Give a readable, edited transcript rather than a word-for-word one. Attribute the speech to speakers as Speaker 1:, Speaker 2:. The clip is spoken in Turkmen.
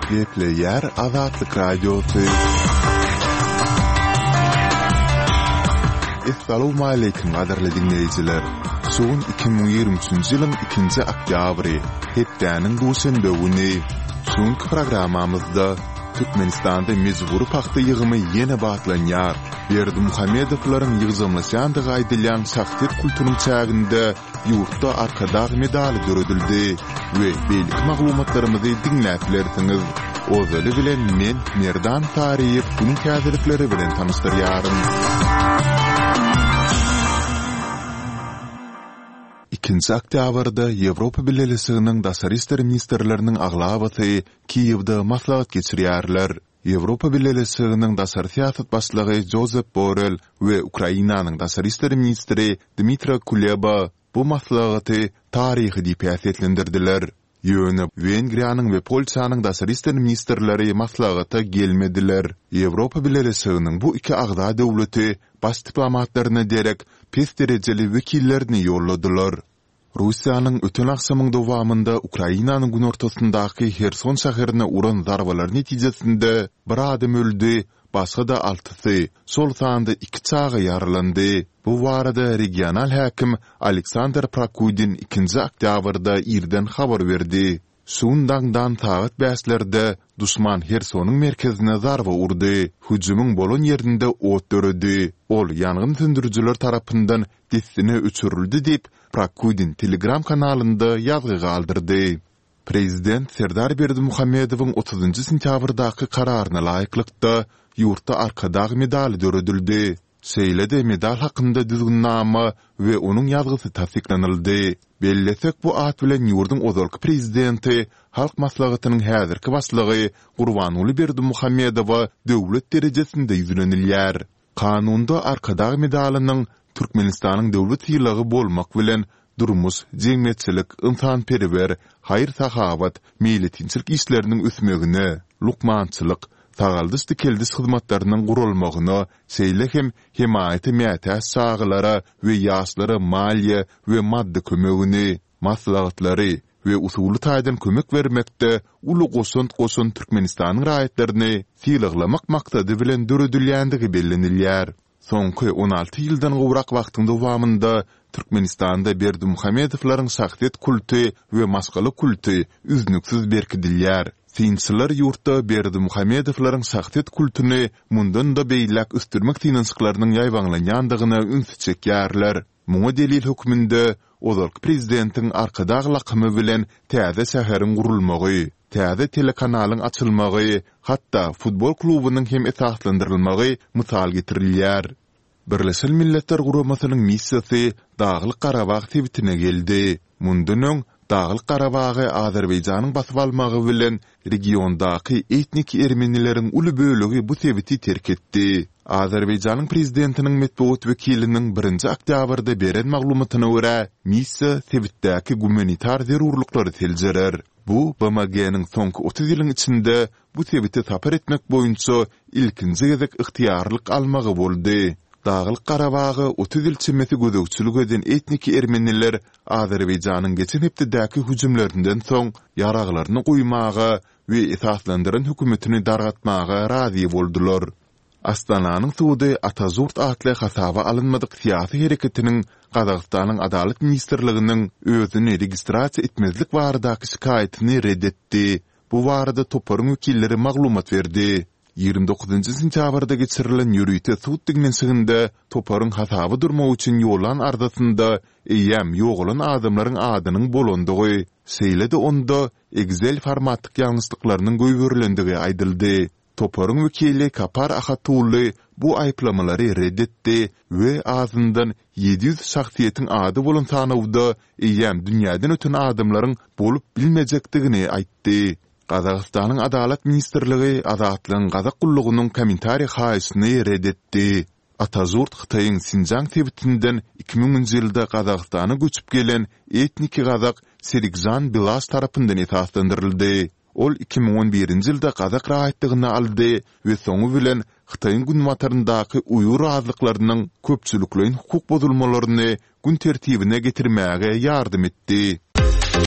Speaker 1: Gepleýär Azatlyk Radiosy. Essalawmaleýkim gadyrly diňleýjiler! Şu gün 2023-nji ýylyň ikinji oktýabry, hepdäniň duşenbe güni. Şu günki programmamyzda Türkmenistanda mejbury pagta ýygymy ýene batlanýar. Berdimuhamedowlaryň ýygjamlaşýandygy aýdylýan şahsyýet kultunyň çäginde ýurtda Arkadag medaly döredildi we beýleki maglumatlarymyzy diňläp bilersiňiz. Ozaly bilen men Merdan Saryýew günüň täzelikleri bilen tanyşdyrýaryn. Ikinji oktýabrda Ýewropa Bileleşiginiň daşary işler ministrleriniň aglabasy Kiýewde maslahat geçirýärler. Ýewropa Bileleşiginiň daşary syýasat başlygy Jozep Borrel we Ukrainanyň daşary işler ministri Dmytro Kuleba bu maslahaty taryhy diýip häsiýetlendirdiler. Ýöne Wengriýanyň we Polşanyň daşary işler ministrleri maslahata gelmediler. Ýewropa Bileleşiginiň bu iki agza döwleti baş diplomatlaryna derek pes derejeli wekillerini ýolladylar. Russiýanyň öten agşamyň dowamynda Ukrainanyň günortasyndaky Herson şäherine uran zarbalary netijesinde bir adam öldi, başga-da altysy, şol sanda iki çaga ýaralandy. Bu barada regional häkim Aleksandr Prokudin ikinji oktýabrda irden habar berdi. Şu gün daňdan sagat bäşlerde duşman Hersonyň merkezine zarba urdy. Hüjümiň bolan ýerinde ot döredi. Ol ýangyn söndürijiler tarapyndan dessine öçürildi diýip, Prokudin Telegram kanalynda ýazgy galdyrdy. Prezident Serdar Berdimuhamedowyň otuzynjy sentýabrdaky kararyna laýyklykda, ýurtda Arkadag medaly döredildi. Şeýle-de medal hakynda düzgünnama we onuň ýazgysy tassyklanyldy. Bellesek, bu at bilen ýurduň ozalky prezidenti, Halk Maslahatynyň häzirki başlygy Gurbanguly Berdimuhamedowa döwlet derejesinde ýüzlenilýär. Kanunda Arkadag medalynyň Türkmenistanyň döwlet sylagy bolmak bilen, durmuş, jemgyýetçilik, ynsanperwer, haýyr-sahawat, meýletinçilik işleriniň ösmegine, lukmançylyk, sagaldyş-dikeldiş hyzmatlarynyň guralmagyna, şeýle hem hemaýata mätäç çagalara we ýaşlara maliýe we maddy kömegini, maslahatlary we usuly taýdan kömek bermekde uly goşant goşan Türkmenistanyň raýatlaryny sylaglamak maksady bilen döredilýändigi bellenilýär. Soňky 16 ýyldan gowrak wagtyň dowamynda Türkmenistanda Berdimuhamedowlaryň şahsyýet kulty we maşgala kulty üznüksiz berkidilýär. Synçylar ýurtda Berdimuhamedowlaryň şahsyýet kultuny mundan-da beýläk ösdürmek synanyşyklarynyň ýaýbaňlanýandygyna ünsi çekýärler. Muňa delil hökmünde ozalky prezidentiň Arkadag lakamy bilen täze şäheriň gurulmagy, täze telekanalyň açylmagy, hatda futbol klubunyň hem esaslandyrylmagy mysal getirilýär. Birleşen Milletler Guramasynyň missiýasy Daglyk-Garabag sebitine geldi. Mundan öň, Daglyk-Garabagy Azerbaýjanyň basyp almagy bilen regiondaky etnik ermenileriň uly bölegi bu sebiti terk etdi. Azerbaýjanyň prezidentiniň metbugat wekiliniň birinji oktýabrda beren maglumatyna görä, missiýa sebitdäki gumanitar zerurlyklary seljerer. Bu BMG-niň soňky 30 ýylyň içinde bu sebite sapar etmek boýunça ilkinji gezek ygtyýarlyk almagy boldy. Daglyk-Garabaga 30 ýyl çemesi gözegçilik eden etnik ermeniler Azerbaýjanyň geçen hepdedäki hüjümlerinden soň ýaraglaryny goýmaga we esaslandyran hökümetini dargatmaga razy boldular. Astananyň sudy Atažurt atly hasaba alynmadyk syýasy hereketiniň Gazagystanyň Adalat ministrliginiň özüni registrasiýa etmezlik baradaky şikaýatyny ret etdi. Bu barada toparyň wekilleri maglumat berdi. 29-njy sentýabrda geçirilen ýörite sud diňlenişiginde toparyň hasaba durmak üçin ýollan arzasynda eýýäm ýogalan adamlaryň adynyň bolandygy, şeýle-de onda Excel formatlyk ýalňyşlyklarynyň goýberilendigi aýdyldy. Toparyň wekili Kapar Ahatully bu aýyplamalary ret etdi we azyndan 700 şahsyýetiň ady bolan sanawda eýýäm dünýäden öten adamlaryň bolup bilmejekdigini aýtdy. Gazagystanyň Adalat ministrligi Azatlygyň gazak gullugynyň kommentariý haýyşyny ret etdi. Atažurt Hytaýyň Sinjaň sebitinden 2000-nji ýylda Gazagystana göçüp gelen etniki gazak Serikžan Bilaş tarapyndan esaslandyryldy. Ol 2011-nji ýylda gazak raýatlygyny aldy we soňy bilen Hytaýyň günbataryndaky uýgur azlyklarynyň köpçülikleýin hukuk bozulmalaryny gün tertibine getirmäge ýardam etdi.